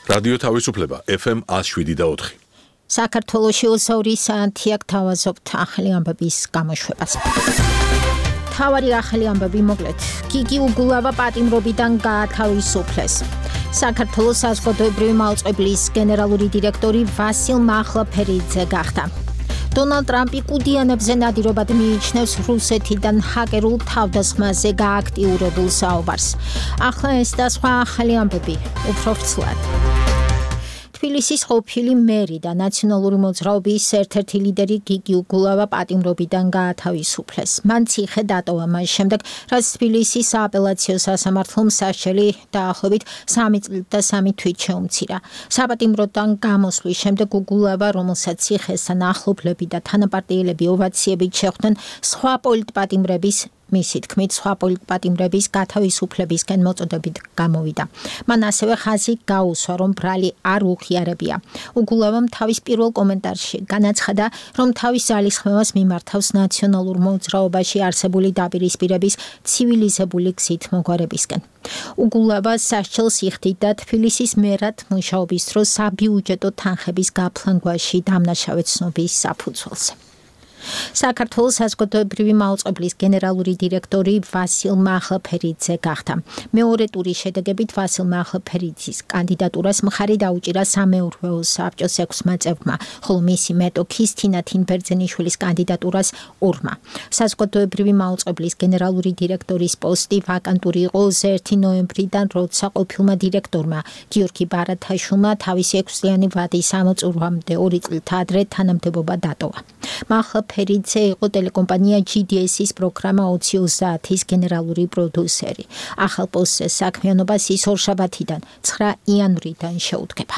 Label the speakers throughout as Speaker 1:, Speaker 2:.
Speaker 1: რადიო თავისუფლება FM 107.4.
Speaker 2: საქართველოში 2 საათი აქ თავაზობთ ახალი ამბების გამოშვებას. თავარი ახალი ამბები მოკლედ. გიგი უგულავა პატიმრობიდან გაათავისუფლეს. საქართველოს საზოგადოებრივი მალწყვებლის გენერალური დირექტორი ვასილ მახლაფერიძე გახდა. დონალდ ტრამპი კუდიანებზე ნადირობად მიიჩნევს რუსეთიდან ჰაკერულ თავდასხმაზე გააქტიურებულ საუბარს. ახლა ეს და სხვა ახალი ამბები უფრო ვრცლად. თბილისის ყოფილი მერი და ნაციონალური მოძრაობის ერთ-ერთი ლიდერი გიგი უგულავა პატიმრობიდან გაათავისუფლეს. მან ციხე დატოვა მას შემდეგ, რაც თბილისის სააპელაციო სასამართლომ სასჯელი დაახლოებით 3 წლით და 3 თვით შეუმცირა. საპატიმროდან გამოსვლის შემდეგ უგულავა, რომელსაც ციხესთან ახლობლები და თანაპარტიელები ოვაციებით შეხვდნენ, სხვა პოლიტპატიმრების მისი თქმით, სხვა პოლიტპატიმრების გათავისუფლებისკენ მოწოდებით გამოვიდა. მან ასევე ხაზი გაუსვა, რომ ბრალი არ უღიარებია. უგულავამ თავის პირველ კომენტარში განაცხადა, რომ თავის ძალისხმევას მიმართავს ნაციონალურ მოძრაობაში არსებული დაპირისპირების ცივილიზებული გზით მოგვარებისკენ. უგულავა სასჯელს იხდიდა თბილისის მერად მუშაობის დროს საბიუჯეტო თანხების გაფლანგვაში დამნაშავე ცნობის საფუძველზე. საქართველოს საზოგადოებრივი მალწყვებლის გენერალური დირექტორი ვასილ მახლაფერიძე გახდა. მეორე ტურის შედეგებით ვასილ მახლაფერიძის კანდიდატურას მხარი დაუჭირა სამეურვეო საბჭოს 6 წევრმა, ხოლო მისი მეტოქის თინა თინბერძენიშვილის კანდიდატურას 2-მა. საზოგადოებრივი მალწყვებლის გენერალური დირექტორის პოსტი ვაკანტური იყო 1 ნოემბრიდან, როცა ყოფილმა დირექტორმა გიორგი ბარათაშვილმა თავისი 6-წლიანი ვადის ამოწურვამდე 2 წლით ადრე თანამდებობა დატოვა. მახლაფერიძე იყო ტელეკომპანია GDS-ის პროგრამა 2030-ის გენერალური პროდიუსერი. ახალ პოსტზე საქმიანობას ის ორშაბათიდან 9 იანვრიდან შეუდგება.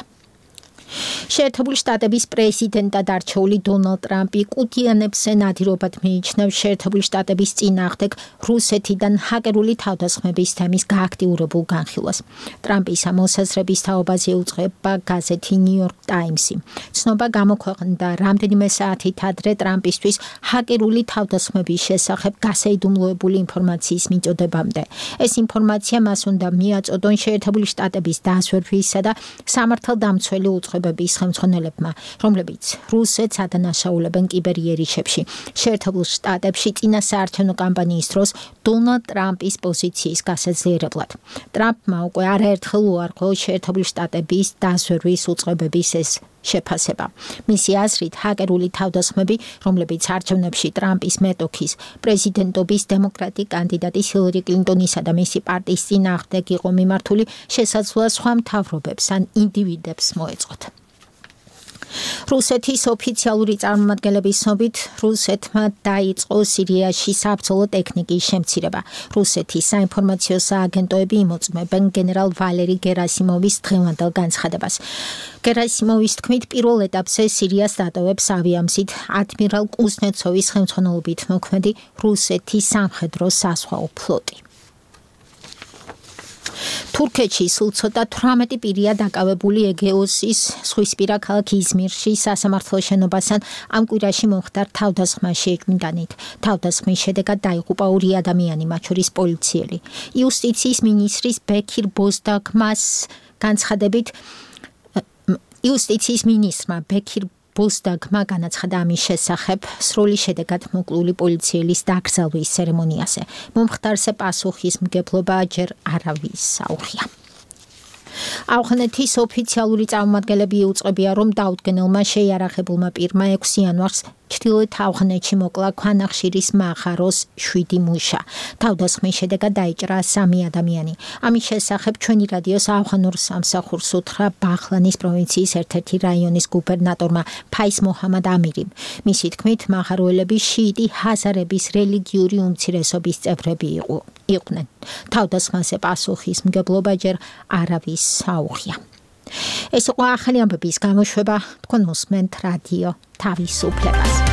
Speaker 2: შეერთებული შტატების პრეზიდენტად არჩეული დონალდ ტრამპი კუდიანებზე ნადირობად მიიჩნევს შეერთებული შტატების წინააღმდეგ რუსეთიდან ჰაკერული თავდასხმების თემის გააქტიურებულ განხილვას. ტრამპის ამ მოსაზრების თაობაზე უწყება გაზეთი New York Times-ი. ცნობა გამოქვეყნდა რამდენიმე საათით ადრე ტრამპისთვის ჰაკერული თავდასხმების შესახებ გასაიდუმლოებული ინფორმაციის მიწოდებამდე. ეს ინფორმაცია მას უნდა მიაწოდონ შეერთებული შტატების დასვერვისა და სამართალდამცველი უწყებების ხელმძღვანელებმა, რომლებიც რუსეთს ადანაშაულებენ კიბერიერიშებში. შეერთებულ შტატებში წინა საარჩევნო კამპანიის დროს დონალდ ტრამპის პოზიციის გასაძლიერებლად. ტრამპმა უკვე არაერთხელ უარყო შეერთებული შტატების დასვერვის უწყებების ეს შეფასება. მისი აზრით, ჰაკერული თავდასხმები, რომლებიც არჩევნებში ტრამპის მეტოქის პრეზიდენტობის დემოკრატი კანდიდატის ჰილარი კლინტონისა და მისი პარტიის წინააღმდეგ იყო მიმართული, შესაძლოა სხვა მთავრობებს ან ინდივიდებს მოეწყოთ. რუსეთის ოფიციალური წარმომადგენლების ცნობით, რუსეთმა დაიწყო სირიაში საბრძოლო ტექნიკის შემცირება. რუსეთის საინფორმაციო სააგენტოები იმოწმებენ გენერალ ვალერი გერასიმოვის დღევანდელ განცხადებას. გერასიმოვის თქმით, პირველ ეტაპზე სირიას დატოვებს ავიამზით ადმირალ კუზნეცოვის ხელმძღვანელობით მოქმედი რუსეთის სამხედრო საზღვაო ფლოტი. თურქეთში სულ ცოტა 18 პირია დაკავებული ეგეოსის ზღვისპირა ქალაქ იზმირში სასამართლო შენობასთან ამ კვირაში მომხდარ თავდასხმაში ეჭვმიტანით. თავდასხმის შედეგად დაიღუპა 2 ადამიანი, მათ შორის პოლიციელი. იუსტიციის მინისტრის ბექირ ბოზდაგმას განცხადებით იუსტიციის მინისტრმა ბექირ ბოზდაგმა განაცხადა ამის შესახებ სრული შედეგად მოკლული პოლიციელის დაკრძალვის ცერემონიაზე. მომხდარზე პასუხისმგებლობა ჯერ არავის საუხია. ავღანეთის ოფიციალური წარმომადგენლები იუწყებიან, რომ დაუდგენელმა შეიარაღებულმა პირმა 6 იანვარს ჩრდილოეთ ავღანეთში მოკლა ქვანახშირის მაღაროს 7 მუშა. თავდასხმის შედეგად დაიჭრა 3 ადამიანი. ამის შესახებ ჩვენი რადიოს ავღანურ სამსახურს უთხრა ბაღლანის პროვინციის ერთ-ერთი რაიონის გუბერნატორმა ფაის მოჰამად ამირიმ. მისი თქმით, მაღაროელები შიიტი ჰაზარების რელიგიური უმცირესობის წევრები იყვნენ. თავდასხმაზე პასუხისმგებლობა ჯერ არავის საუხია. ეს იყო ახალი ამბების გამოშვება, თქვენ მოსმენთ რადიო თავისუფლებას.